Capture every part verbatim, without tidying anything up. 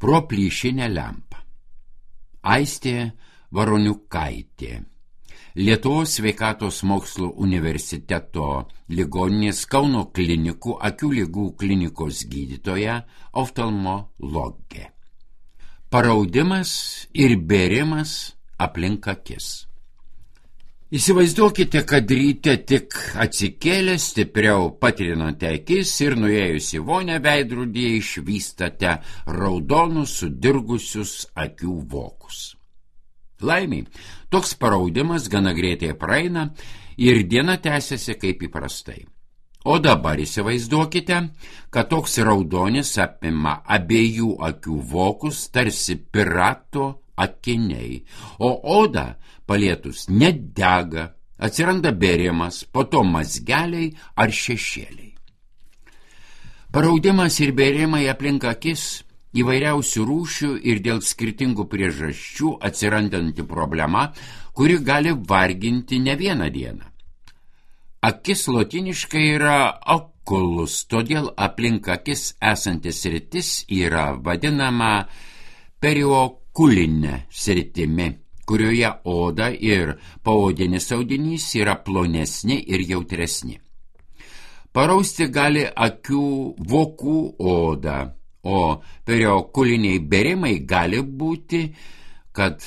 Pro plyšinę lempą. Aistė Varoniukaitė. Lietuvos sveikatos mokslų universiteto ligoninės Kauno klinikų akių ligų klinikos gydytoja, oftalmologė. Paraudimas ir bėrimas aplink akis. Įsivaizduokite, kad ryte tik atsikėlę stipriau patrinate akis ir nuėjus į vonę veidrodyje išvystate raudonus sudirgusius akių vokus. Laimiai, toks paraudimas gana greitai praeina ir diena tęsiasi kaip įprastai. O dabar įsivaizduokite, kad toks raudonis apima abiejų akių vokus tarsi pirato akiniai, o oda palietus nedega, atsiranda bėrimas, po to mazgeliai ar šešėliai. Paraudimas ir bėrimai aplink akis įvairiausių rūšių ir dėl skirtingų priežasčių atsirandanti problema, kuri gali varginti ne vieną dieną. Akis lotiniškai yra oculus, todėl aplink akis esantis sritis yra vadinama periokulinė sritimi, kurioje oda ir paodinis audinys yra plonesni ir jautresni. Parausti gali akių vokų oda, o periokuliniai bėrimai gali būti, kad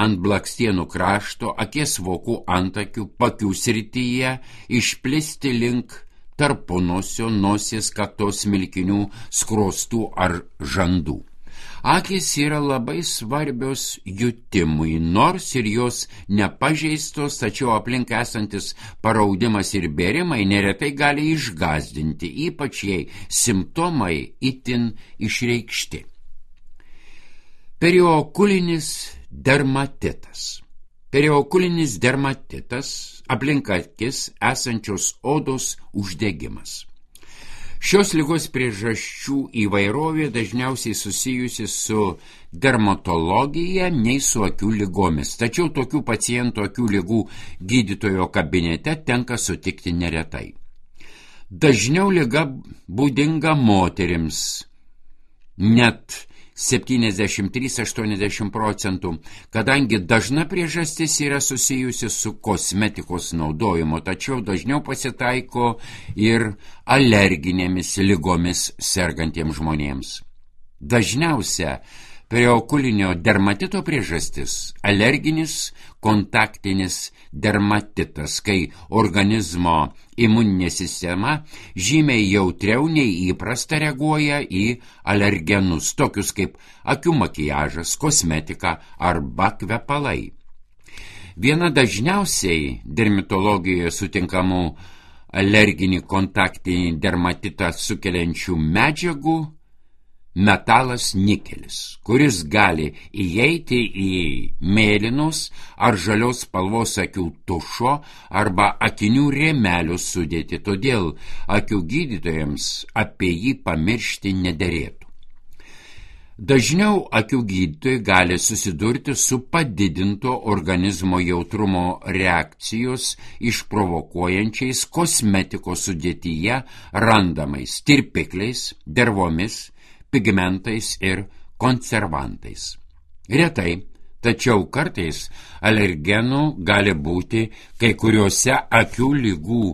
ant blakstienų krašto akies vokų antakių pakių srityje išplisti link tarpunosio, nosies, kaktos smilkinių, skruostų ar žandų. Akys yra labai svarbios jutimui, nors ir jos nepažeistos, tačiau aplink esantis paraudimas ir bėrimai neretai gali išgąsdinti, ypač jei simptomai itin išreikšti. Periokulinis dermatitas. Periokulinis dermatitas aplink akis esančios odos uždegimas. Šios ligos priežasčių įvairovė dažniausiai susijusi su dermatologija nei su akių ligomis, tačiau tokių pacientų akių ligų gydytojo kabinete tenka sutikti neretai. Dažniau liga būdinga moterims, net septyniasdešimt trys iki aštuoniasdešimt procentų, kadangi dažna priežastis yra susijusi su kosmetikos naudojimu, tačiau dažniau pasitaiko ir alerginėmis ligomis sergantiems žmonėms. Dažniausia periokulinio dermatito priežastis – alerginis kontaktinis dermatitas, kai organizmo imuninė sistema žymiai jautriau nei įprasta reaguoja į alergenus, tokius kaip akių makiažas, kosmetika arba kvepalai. Viena dažniausiai dermatologijoje sutinkamų alerginį kontaktinį dermatitą sukeliančių medžiagų – metalas nikelis, kuris gali įeiti į mėlynos ar žalios spalvos akių tušo arba akinių rėmelių sudėtį, todėl akių gydytojams apie jį pamiršti nederėtų. Dažniau akių gydytojai gali susidurti su padidinto organizmo jautrumo reakcijos išprovokuojančiais kosmetikos sudėtyje randamais tirpikliais, dervomis, pigmentais ir konservantais. Retai, tačiau kartais alergenų gali būti kai kuriuose akių ligų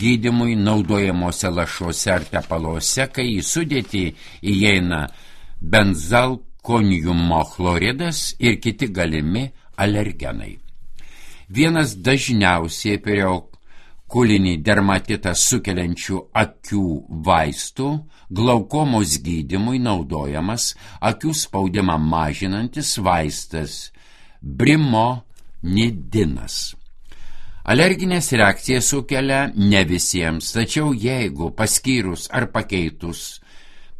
gydymui naudojamuose lašuose ar tepaluose, kai į sudėtį įeina benzalkoniumo chloridas ir kiti galimi alergenai. Vienas dažniausiai periokulinį dermatitą sukeliančių akių vaistų glaukomos gydymui naudojamas akių spaudimą mažinantis vaistas brimonidinas. Alerginės reakcijas sukelia ne visiems, tačiau jeigu paskyrus ar pakeitus,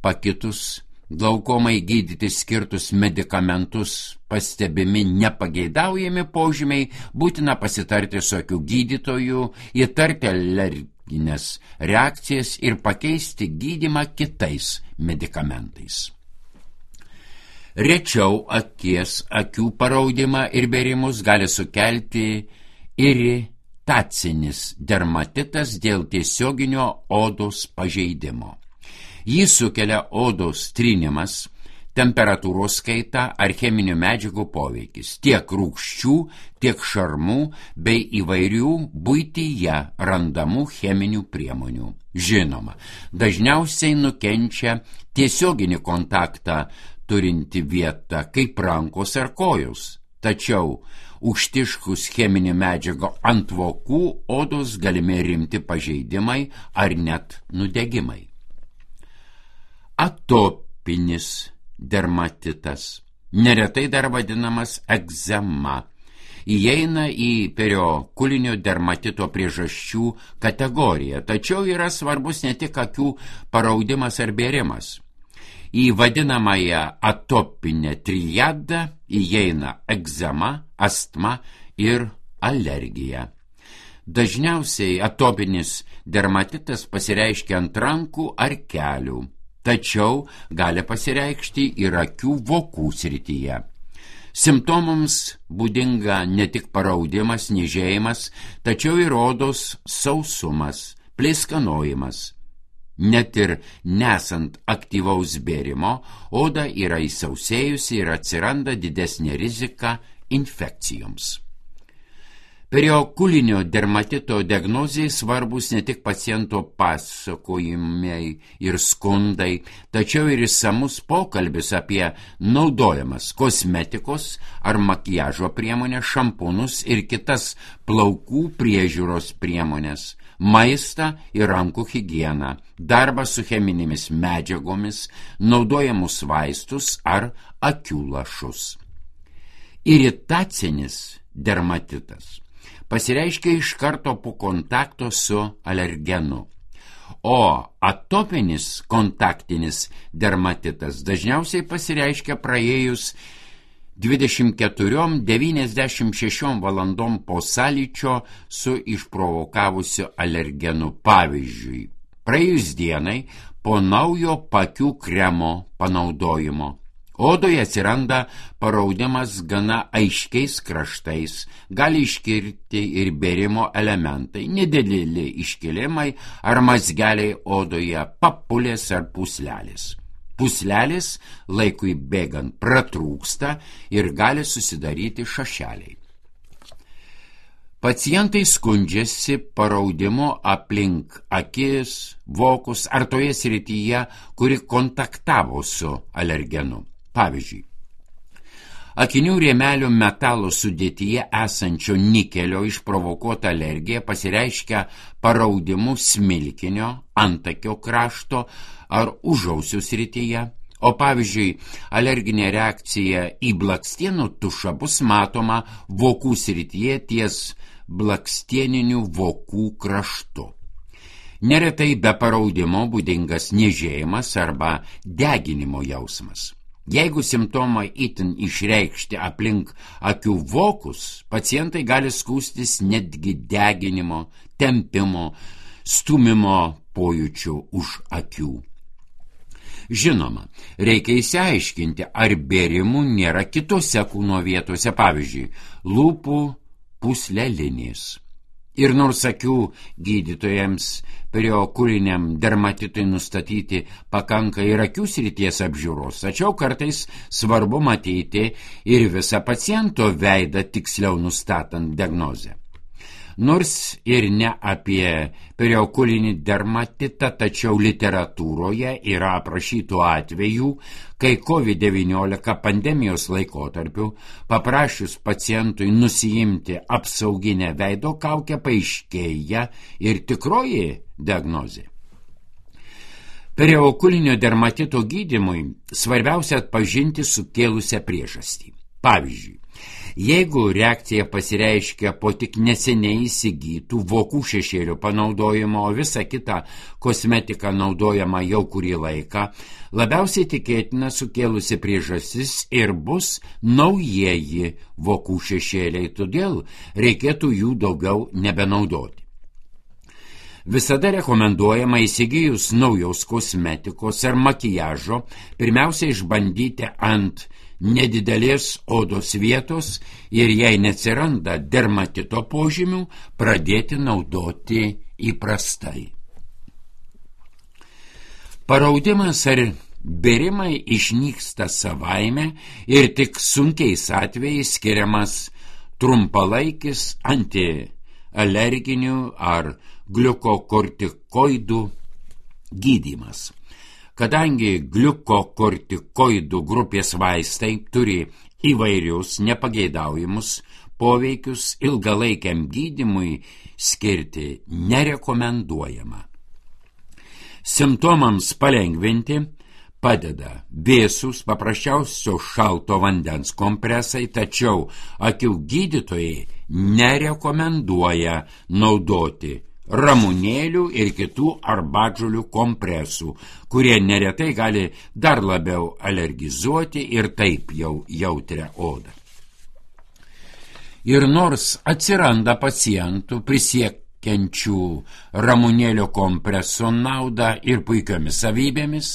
pakitus glaukomai gydyti skirtus medikamentus pastebimi nepageidaujami požymiai, būtina pasitarti su akių gydytoju, įtarti alerginės reakcijas ir pakeisti gydymą kitais medikamentais. Rečiau akies, akių paraudimą ir bėrimus gali sukelti iritacinis dermatitas dėl tiesioginio odos pažeidimo. Jį sukelia odos trinimas, temperatūros kaita ar cheminių medžiagų poveikis, tiek rūgščių, tiek šarmų bei įvairių buityje randamų cheminių priemonių. Žinoma, dažniausiai nukenčia tiesioginį kontaktą turinti vieta, kaip rankos ar kojos. Tačiau užtiškus cheminį medžiagą ant vokų odos galimi rimti pažeidimai ar net nudegimai. Atopinis dermatitas, neretai dar vadinamas egzema, įeina į periokulinio dermatito priežasčių kategoriją, tačiau yra svarbus ne tik akių paraudimas ar bėrimas. Į vadinamąją atopinę triadą įeina egzema, astma ir alergija. Dažniausiai atopinis dermatitas pasireiškia ant rankų ar kelių, tačiau gali pasireikšti ir akių vokų srityje. Simptomams būdinga ne tik paraudimas, niežėjimas, tačiau ir odos sausumas, pleiskanojimas. Net ir nesant aktyvaus bėrimo, oda yra įsausėjusi ir atsiranda didesnė rizika infekcijoms. Periokulinio dermatito diagnozijai svarbus ne tik paciento pasakojimai ir skundai, tačiau ir išsamus pokalbis apie naudojamas kosmetikos ar makiažo priemonės, šampūnus ir kitas plaukų priežiūros priemonės, maistą ir rankų higieną, darbą su cheminėmis medžiagomis, naudojamus vaistus ar akių lašus. Iritacinis dermatitas pasireiškia iš karto po kontakto su alergenu, o atopinis kontaktinis dermatitas dažniausiai pasireiškia praėjus dvidešimt keturiom devyniasdešimt šešiom valandom po sąlyčio su išprovokavusiu alergenu. Pavyzdžiui, praėjus dienai po naujo paakių kremo panaudojimo. Odoje atsiranda paraudimas gana aiškiais kraštais, gali iškirti ir bėrimo elementai, nedideli iškilimai ar mazgeliai odoje, papulės ar puslelės. Puslelės laikui bėgant pratrūksta ir gali susidaryti šašeliai. Pacientai skundžiasi paraudimu aplink akis, vokus ar toje srityje, kuri kontaktavo su alergenu. Pavyzdžiui, akinių rėmelių metalo sudėtyje esančio nikelio išprovokuota alergija pasireiškia paraudimu smilkinio, antakio krašto ar užausių srityje, o pavyzdžiui, alerginė reakcija į blakstienų tušą bus matoma vokų srityje ties blakstieninių vokų kraštu. Neretai be paraudimo būdingas niežėjimas arba deginimo jausmas. Jeigu simptomai itin išreikšti aplink akių vokus, pacientai gali skųstis netgi deginimo, tempimo, stumimo pojūčių už akių. Žinoma, reikia išsiaiškinti, ar bėrimų nėra kitose kūno vietose, pavyzdžiui, lūpų pūslelinės. Ir nors akių gydytojams periokuliniam dermatitui nustatyti pakanka ir akių srities apžiūros, tačiau kartais svarbu matyti ir visą paciento veidą tiksliau nustatant diagnozę. Nors ir ne apie periokulinį dermatitą, tačiau literatūroje yra aprašytų atvejų, kai covid devyniolika pandemijos laikotarpiu paprašius pacientui nusiimti apsauginę veido kaukę paaiškėja ir tikroji diagnozė. Periokulinio dermatito gydymui svarbiausia atpažinti sukėlusią priežastį. Pavyzdžiui, jeigu reakcija pasireiškia po tik neseniai įsigytų vokų šešėlių panaudojimo, o visa kita kosmetika naudojama jau kurį laiką, labiausiai tikėtina sukėlusi priežastis ir bus naujieji vokų šešėliai, todėl reikėtų jų daugiau nebenaudoti. Visada rekomenduojama įsigijus naujos kosmetikos ar makiažo pirmiausia išbandyti ant nedidelės odos vietos ir jei neatsiranda dermatito požymių, pradėti naudoti įprastai. Paraudimas ar Bėrimai išnyksta savaime ir tik sunkiais atvejais skiriamas trumpalaikis antialerginių ar gliukokortikoidų gydymas. Kadangi gliukokortikoidų grupės vaistai turi įvairius nepageidaujamus poveikius, ilgalaikiam gydymui skirti nerekomenduojama. Simptomams palengvinti padeda vėsūs paprasčiausio šalto vandens kompresai, tačiau akių gydytojai nerekomenduoja naudoti ramunėlių ir kitų arbatžolių kompresų, kurie neretai gali dar labiau alergizuoti ir taip jau jautrią odą. Ir nors atsiranda pacientų prisiekiančių ramunėlio kompreso naudą ir puikiomis savybėmis,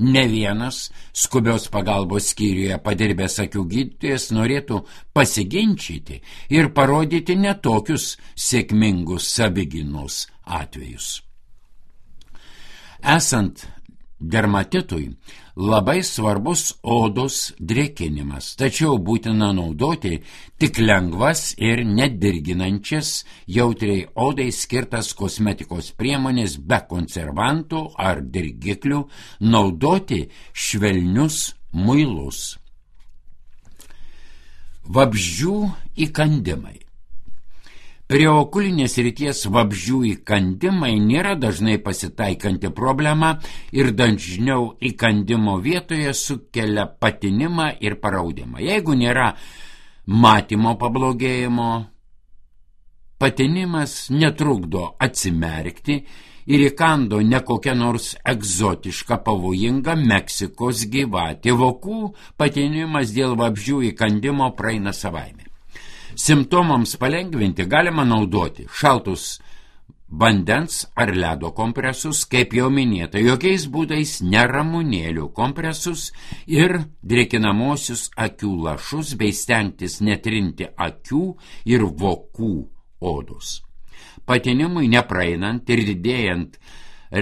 ne vienas skubios pagalbos skyriuje padirbęs akių gydytojas norėtų pasiginčyti ir parodyti netokius sėkmingus savigynos atvejus. Esant dermatitui labai svarbus odos drėkinimas, tačiau būtina naudoti tik lengvas ir nedirginančias jautriai odai skirtas kosmetikos priemonės be konservantų ar dirgiklių, naudoti švelnius muilus. Vabzdžių įkandimai. Prieokulinės srities vabzdžių įkandimai nėra dažnai pasitaikanti problema ir dažniau įkandimo vietoje sukelia patinimą ir paraudimą. Jeigu nėra matymo pablogėjimo, patinimas netrukdo atsimerkti ir įkando ne kokia nors egzotiška pavojinga Meksikos gyvatė. Vokų patinimas dėl vabzdžių įkandimo praeina savaime. Simptomams palengvinti galima naudoti šaltus vandens ar ledo kompresus, kaip jau minėta, jokiais būdais neramunėlių kompresus ir drėkinamosius akių lašus bei stengtis netrinti akių ir vokų odos. Patinimui nepraeinant ir didėjant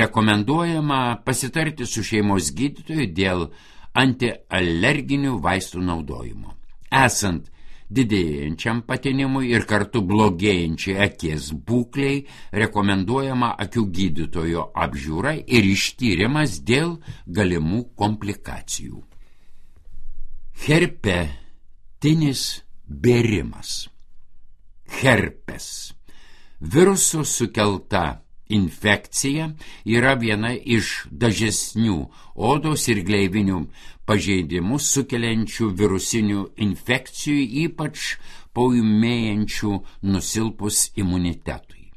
rekomenduojama pasitarti su šeimos gydytoju dėl antialerginių vaistų naudojimo. Esant didėjančiam patinimui ir kartu blogėjančiai akies būkliai rekomenduojama akių gydytojo apžiūra ir ištyrimas dėl galimų komplikacijų. Herpetinis bėrimas. Herpes. Viruso sukelta infekcija yra viena iš dažnesnių odos ir gleivinių pažeidimus sukeliančių virusinių infekcijų, ypač paūmėjančių nusilpus imunitetui.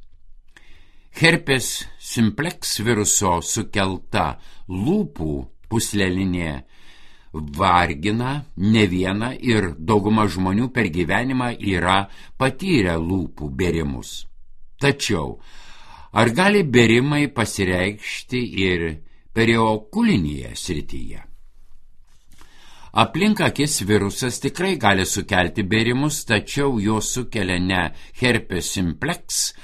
Herpes simplex viruso sukelta lūpų pūslelinė vargina ne vieną ir dauguma žmonių per gyvenimą yra patyrę lūpų bėrimus. Tačiau ar gali bėrimai pasireikšti ir periokulinėje srityje? Aplink akis virusas tikrai gali sukelti bėrimus, tačiau jos sukelia ne herpes simplex,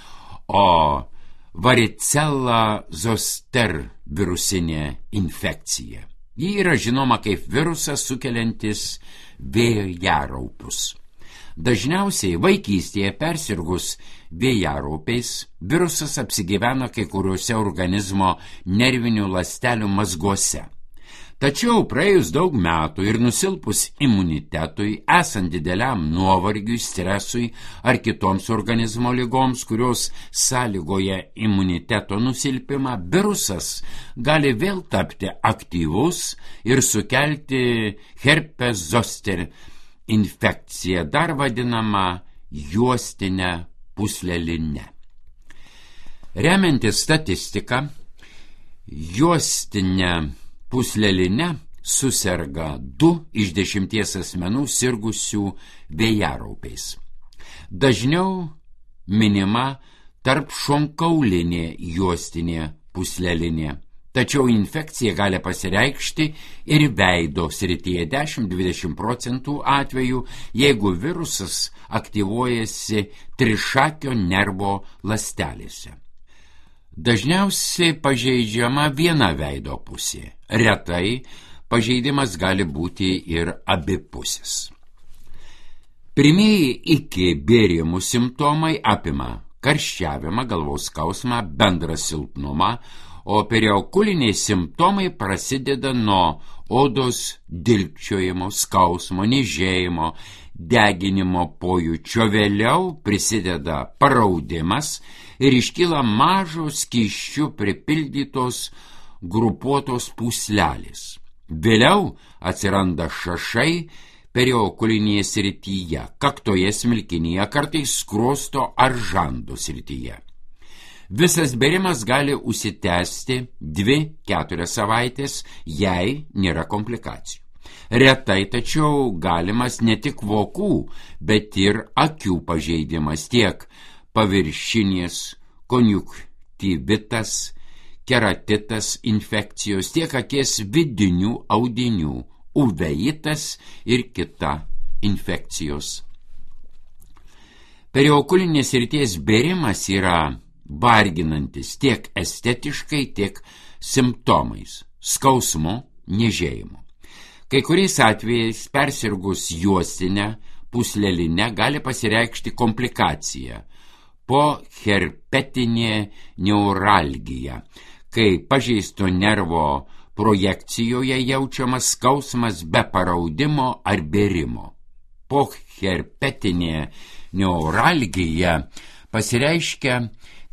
o varicella zoster virusinė infekcija. Ji yra žinoma kaip virusas sukeliantis vėjaraupius. Dažniausiai vaikystėje persirgus vėjaraupiais virusas apsigyvena kai kuriuose organizmo nervinių ląstelių mazguose. Tačiau praėjus daug metų ir nusilpus imunitetui, esant dideliam nuovargiui, stresui ar kitoms organizmo ligoms, kurios sąlygoja imuniteto nusilpimą, virusas gali vėl tapti aktyvus ir sukelti herpes zoster infekciją, dar vadinamą juostinę pūslelinę. Remiantis statistiką, juostinę pūslelinę suserga du iš dešimties asmenų sirgusių vėjaraupiais. Dažniau minima tarp šonkaulinė juostinė pūslelinė, tačiau infekcija gali pasireikšti ir veido srityje dešimt iki dvidešimt procentų atvejų, jeigu virusas aktyvuojasi trišakio nervo ląstelėse. Dažniausiai pažeidžiama viena veido pusė. Retai pažeidimas gali būti ir abipusis. Pirmieji iki bėrimų simptomai apima karščiavimą, galvos skausmą, bendrą silpnumą, o periokuliniai simptomai prasideda nuo odos dilgčiojimo, skausmo, niežėjimo, deginimo pojūčio. Vėliau prisideda paraudimas ir iškyla mažos skysčių pripildytos grupuotos pūslelės. Vėliau atsiranda šašai periokulinėje srityje, kaktoje, smilkinyje, kartais skruosto ar žando srityje. Visas bėrimas gali užsitęsti dvi keturias savaitės, jei nėra komplikacijų. Retai tačiau galimas ne tik vokų, bet ir akių pažeidimas, tiek paviršinės konjunktyvitas, keratitas infekcijos, tiek akies vidinių audinių, uveitas ir kita infekcijos. Periokulinės srities bėrimas yra varginantis tiek estetiškai, tiek simptomais, skausmu, niežėjimu. Kai kuriais atvejais persirgus juostinę, pūslelinę gali pasireikšti komplikacija poherpetinė neuralgija, kai pažeisto nervo projekcijoje jaučiamas skausmas be paraudimo ar bėrimo. Poherpetinė neuralgija pasireiškia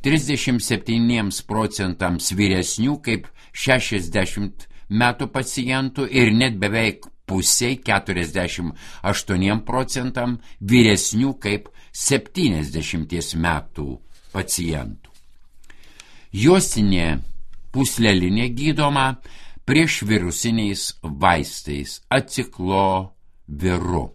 trisdešimt septyniems procentams vyresnių kaip šešiasdešimt metų pacientų ir net beveik pusiai keturiasdešimt aštuoniems procentam vyresnių kaip septyniasdešimties metų pacientų. Juostinė pūslelinė gydoma priešvirusiniais vaistais acikloviru.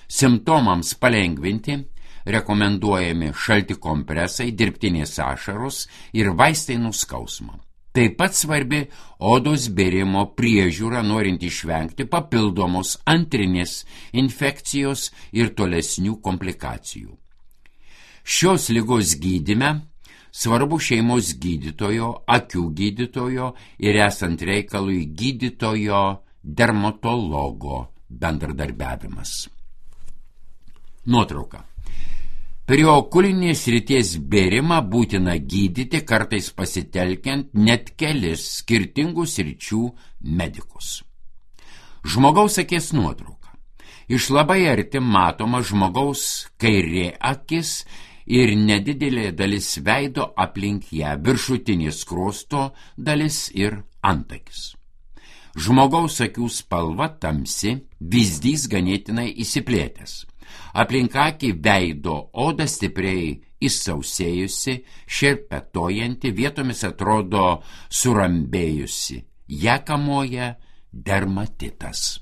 Simptomams palengvinti rekomenduojami šalti kompresai, dirbtinės ašaros ir vaistai nuo skausmo. Taip pat svarbi odos bėrimo priežiūra, norint išvengti papildomos antrinės infekcijos ir tolesnių komplikacijų. Šios ligos gydyme svarbu šeimos gydytojo, akių gydytojo ir esant reikalui gydytojo dermatologo bendradarbiavimas. Nuotrauka. Periokulinės srities bėrimą būtina gydyti, kartais pasitelkiant net kelis skirtingų sričių medikus. Žmogaus akies nuotrauka. Iš labai arti matoma žmogaus kairė akis ir nedidelė dalis veido aplink ją, viršutinė skruosto dalis ir antakis. Žmogaus akių spalva tamsi, vyzdys ganėtinai įsiplėtęs. Aplink akį veido oda stipriai įsausėjusi, šerpetojanti, vietomis atrodo surambėjusi. Ja kamuoja dermatitas.